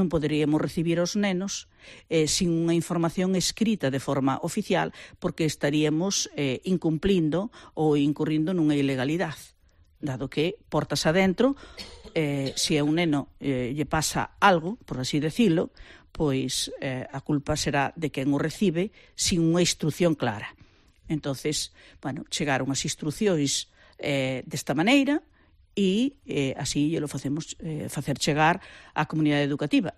non poderíamos recibir os nenos sin unha información escrita de forma oficial, porque estaríamos incumplindo ou incurrindo nunha ilegalidade, dado que, portas adentro, se a un neno lle pasa algo, por así decirlo, pois a culpa será de quen o recibe sin unha instrucción clara. Entonces, bueno, chegaron as instruccións desta maneira, e así lo facemos facer chegar á comunidade educativa.